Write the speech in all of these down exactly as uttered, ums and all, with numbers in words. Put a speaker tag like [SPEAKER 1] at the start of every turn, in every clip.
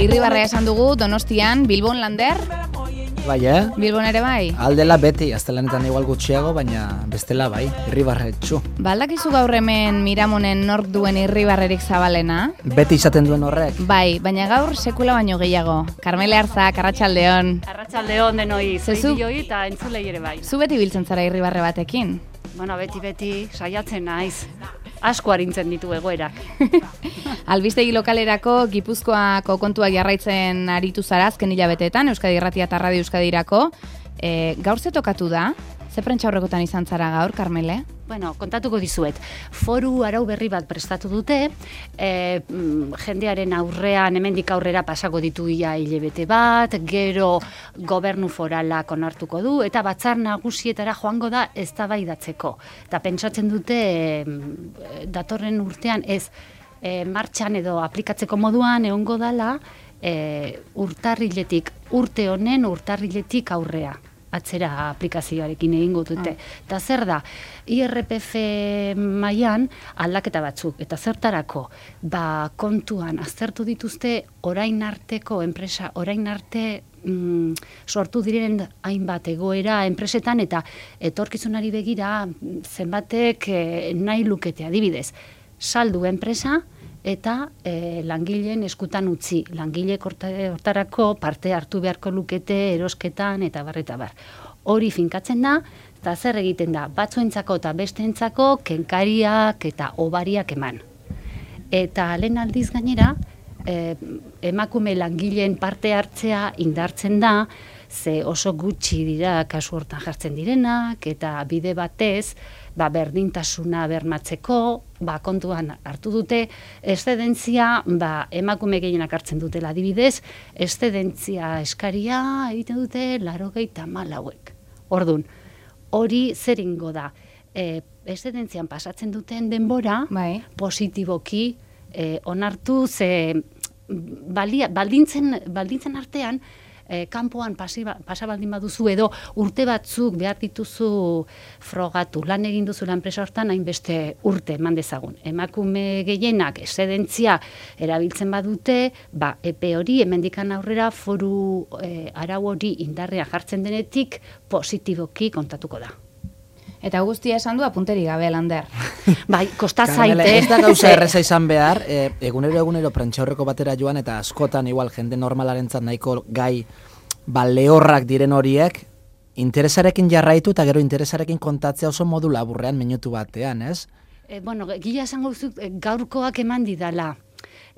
[SPEAKER 1] Irribarrea esan dugu, Donostian, Bilbon Lander?
[SPEAKER 2] Bai, eh?
[SPEAKER 1] Bilbon ere bai?
[SPEAKER 2] Aldela beti, astelenetan igual gutxiago, baina bestela bai, irribarretxu.
[SPEAKER 1] Baldakizu gaur hemen Miramonen nork duen irribarrerik zabalena?
[SPEAKER 2] Beti izaten duen horrek?
[SPEAKER 1] Bai, baina gaur sekula baino gehiago. Karmele Arzak, arratsaldeon.
[SPEAKER 3] Arratsaldeon denoi, zeibioi eta entzulei ere bai.
[SPEAKER 1] Zu beti biltzen zara irribarre batekin?
[SPEAKER 3] Bueno, beti-beti saiatzen naiz. Asko arintzen ditu egoerak.
[SPEAKER 1] Albistegi lokalerako Gipuzkoako kontuak jarraitzen aritu zara azken hilabeteetan, Euskadi Irratia eta Radio Euskadirako. E, gaur ze tokatu da? Ze prentsaurrekotan izan zara gaur, Karmele?
[SPEAKER 3] Bueno, kontatuko dizuet. Foru arau berri bat prestatu dute, e, jendearen aurrean, hemendik aurrera pasako ditu ia hilabete bat, gero gobernu foralak onartuko du, eta batzar nagusietara joango da eztabaidatzeko. Eta pentsatzen dute e, datorren urtean ez e, martxan edo aplikatzeko moduan egongo dala e, urtarriletik, urte honen urtarriletik aurrea. Atzera aplikazioarekin egingo dute. Eta zer da, I R P F mailan aldaketa batzuk, eta zertarako, ba, kontuan aztertu dituzte orain arteko enpresa, orain arte mm, sortu diren hainbat egoera enpresetan, eta etorkizunari begira zenbatek eh, nahi lukete adibidez. Saldu enpresa, eta e, langileen eskutan utzi. Langileek hortarako parte hartu beharko lukete erosketan eta bar eta bar. Hori finkatzen da, eta zer egiten da, batzuentzako eta besteentzako kenkariak eta obariak eman. Eta lehen aldiz gainera, e, emakume langileen parte hartzea indartzen da, ze oso gutxi dira kasu hortan jartzen direnak, eta bide batez, ba, berdintasuna bermatzeko, ba, kontuan hartu dute, eszedentzia, ba, emakume gehienak hartzen dutela adibidez, eszedentzia eskaria egiten dute laurogeita hamalauek. Ordun, hori zer ingo da, e, eszedentzian pasatzen duten denbora, bai, positiboki e, onartu, ze balia, baldintzen, baldintzen artean, E, kanpoan pasiba, pasabaldin baduzu edo urte batzuk behar dituzu frogatu, lan egin duzu enpresa hortan hainbeste urte eman dezagun. Emakume gehienak eszedentzia erabiltzen badute, ba, epe hori hemendikan aurrera foru e, arau hori indarrea jartzen denetik positiboki kontatuko da.
[SPEAKER 1] Eta guztia esan du apunteri gabe, Lander.
[SPEAKER 3] Bai, kosta zaite.
[SPEAKER 2] Ez da gauza erreza izan behar, e, egunero egunero prentsaurreko batera joan, eta askotan igual jende normalarentzat nahiko gai ba, lehorrak diren horiek, interesarekin jarraitu eta gero interesarekin kontatzea oso modu laburrean minutu batean, ez?
[SPEAKER 3] E, bueno, gila esango duzu, gaurkoak eman didala.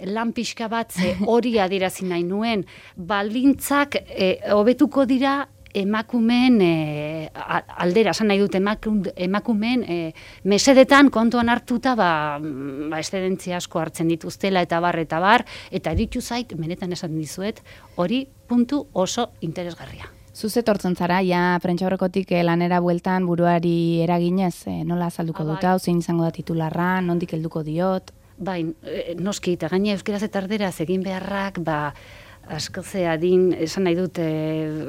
[SPEAKER 3] Lan pixka bat hori adierazi nahi nuen, baldintzak e, hobetuko dira emakumeen e, aldera, esan nahi dut emakumeen e, mesedetan kontuan hartuta ba, ba eszedentzia asko hartzen dituztela eta bar eta bar, eta ditu zait, benetan esan dizuet, hori puntu oso interesgarria.
[SPEAKER 1] Zuzet hortzen zara, ja prentsaurrekotik lanera bueltan buruari eraginez, e, nola azalduko dut hau, zein izango da titularra, nondik helduko diot?
[SPEAKER 3] Bai, noski, eta gaine euskeraz eta erderaz egin beharrak, ba, asko ze adin, esan nahi dut, e,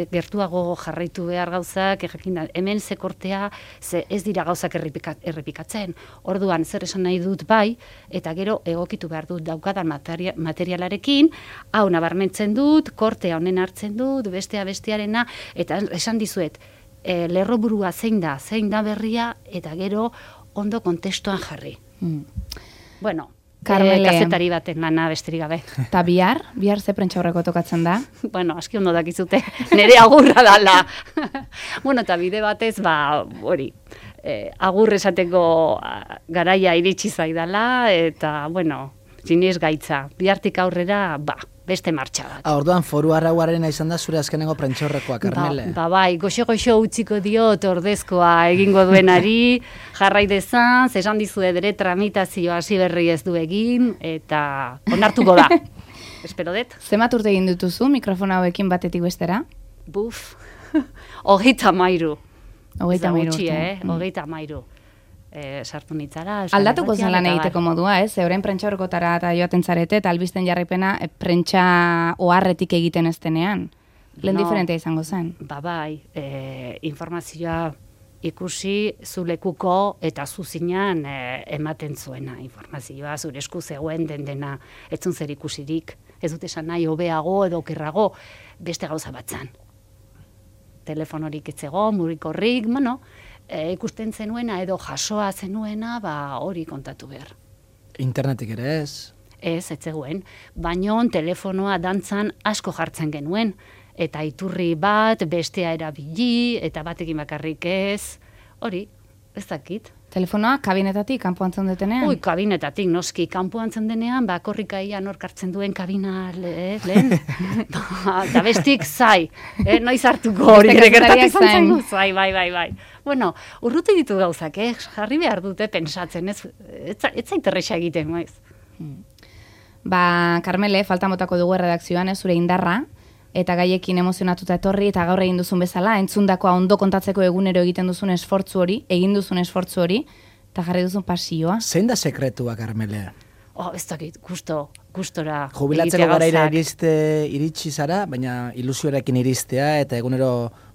[SPEAKER 3] gertuago jarraitu behar gauzak, jakin da, hemen ze kortea, ze ez dira gauzak errepikatzen. Orduan, zer esan nahi dut bai, eta gero egokitu behar dut daukadan materia, materialarekin, hau nabarmentzen dut, kortea honen hartzen dut, bestea bestearena, eta esan dizuet, e, lerroburua zein da, zein da berria, eta gero ondo kontestuan jarri. Mm. Bueno, Karmele, kazetari baten lana besterik gabe.
[SPEAKER 1] Eta bihar? Bihar ze prentsaurreko tokatzen da?
[SPEAKER 3] Bueno, aski ondo dakizute, nire agurra dala. Bueno, eta bide batez, ba, hori, eh, agur esateko garaia iritsi zaidala, eta, bueno, zinez gaitza. Bihartik aurrera, ba, beste martxa bat.
[SPEAKER 2] Ah, orduan, foru arrauaren izan da zure azkenengo prentsaurrekoa, Karmele?
[SPEAKER 3] Ba, ba bai, goxo-goxo utziko diot ordezkoa egingo duenari, jarrai dezan, esan dizu edere tramitazioa hasi berri ez du egin, eta onartuko da. Espero dut.
[SPEAKER 1] Zemat urte egin dutuzu mikrofona hauekin batetik bestera?
[SPEAKER 3] Buf, hogeita mairu.
[SPEAKER 1] Hogeita mairu urte.
[SPEAKER 3] Eh? Hogeita mairu. E, sartu nitzara.
[SPEAKER 1] Aldatuko zen lan egiteko modua, ez? Euren prentsaurrekotara eta joaten zarete, eta albisten jarraipena e, prentsa oharretik egiten ez denean. Lehen no, diferentea izango zen.
[SPEAKER 3] Ba bai, e, informazioa ikusi zulekuko eta zuzinan e, ematen zuena informazioa, zure esku zegoen den dena, etzun zer ikusirik, ez dut esan nahi hobeago edo okerrago, beste gauza batzan. Telefonorik etzego, mugikorrik, bueno, e, ikusten zenuena edo jasoa zenuena, ba hori kontatu behar.
[SPEAKER 2] Internetik ere ez?
[SPEAKER 3] Ez, ez zegoen, baino telefonoa dantzan asko jartzen genuen, eta iturri bat, bestea erabili, eta batekin bakarrik ez, hori, ez dakit.
[SPEAKER 1] Telefonoa kabinetatik, kanpoan zendetenean?
[SPEAKER 3] Ui, kabinetatik, noski, kanpoan zendenean, ba, korrikaia nork hartzen duen kabina le, lehen, ba, eta bestik zai, eh, noiz hartuko hori, ere gertatik zantzaigu, zai, bai, bai, bai. Bueno, urruti ditu gauzak, eh, jarri behar dute pensatzen, ez, ez, ez zaiterresa egiten, maiz.
[SPEAKER 1] Hmm. Ba, Karmele, falta motako dugu redakzioan, ez, zure indarra, eta gaiekin emozionatuta etorri, eta gaur egin duzun bezala, entzundakoa ondo kontatzeko egunero egiten duzun esfortzu hori, egin duzun esfortzu hori, eta jarri duzun pasioa.
[SPEAKER 2] Zein da sekretua, Karmele?
[SPEAKER 3] Oh, ez dakit, gusto, gustora.
[SPEAKER 2] Jubilatzeko garaira iriste, iritsi zara, baina ilusioarekin iristea, eta egunero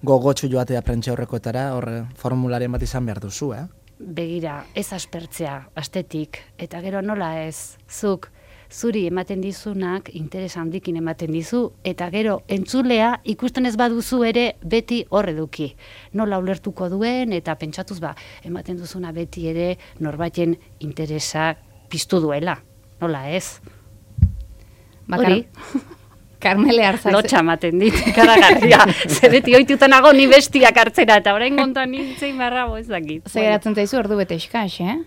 [SPEAKER 2] gogotsu joatea prentxaurrekoetara, horre formularen bat izan behar duzu, eh?
[SPEAKER 3] Begira, ez aspertzea, astetik, eta gero nola ez, zuk, zuri ematen dizunak interes handikin ematen dizu, eta gero entzulea ikusten ez baduzu ere beti horre duki. Nola ulertuko duen, eta pentsatuz ba, ematen duzuna beti ere norbaiten interesa piztu duela. Nola ez? Hori?
[SPEAKER 1] Karmele Arzak.
[SPEAKER 3] Lotxa ematen dit, karagarria. Zer beti oituta nago ni bestiak hartzera, eta orain kontan nintzen barrago ez dakit.
[SPEAKER 1] Zer geratzen zaizu ordu bete eskaz, eh?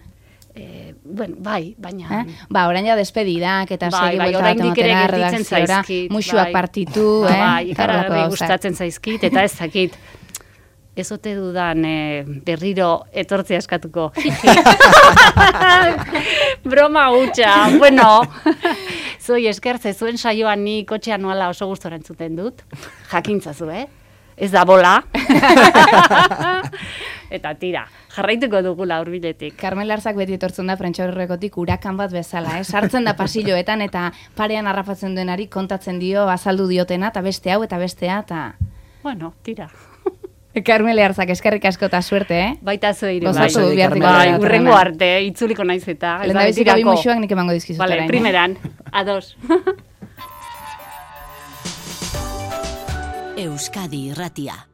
[SPEAKER 3] Eh, bueno, bai, baina...
[SPEAKER 1] Eh? Ba, orain ja despedidak eta
[SPEAKER 3] bai,
[SPEAKER 1] segi
[SPEAKER 3] bai,
[SPEAKER 1] buelta bat ematera redakziora, musuak
[SPEAKER 3] bai.
[SPEAKER 1] partitu,
[SPEAKER 3] eh?
[SPEAKER 1] Bai,
[SPEAKER 3] ikaragarri gustatzen zaizkit, eta ez zakit. Ez ote dudan eh, berriro etortzea eskatuko. Broma hutsa, bueno. Zoi eskertze, zuen saioan ni kotxean nuala oso gustora entzuten dut. Jakintzazu, eh? Ez da bola. Eta tira, jarraituko dugula hurbiletik.
[SPEAKER 1] Karmel Arzak beti etortzen da prentxaurrekotik urakan bat bezala, eh? Sartzen da pasilloetan eta parean harrapatzen denari kontatzen dio, azaldu diotena, eta beste hau eta bestea, eta...
[SPEAKER 3] Bueno, tira.
[SPEAKER 1] Karmele Arzak, eskerrik asko eta suerte, eh?
[SPEAKER 3] Baita zueire,
[SPEAKER 1] bai.
[SPEAKER 3] Bai, urrengo arte, itzuliko naiz eta.
[SPEAKER 1] Lenda biziko bi musuak nik emango dizkizut orain.
[SPEAKER 3] Vale, primeran, ados.
[SPEAKER 4] Euskadi Irratia.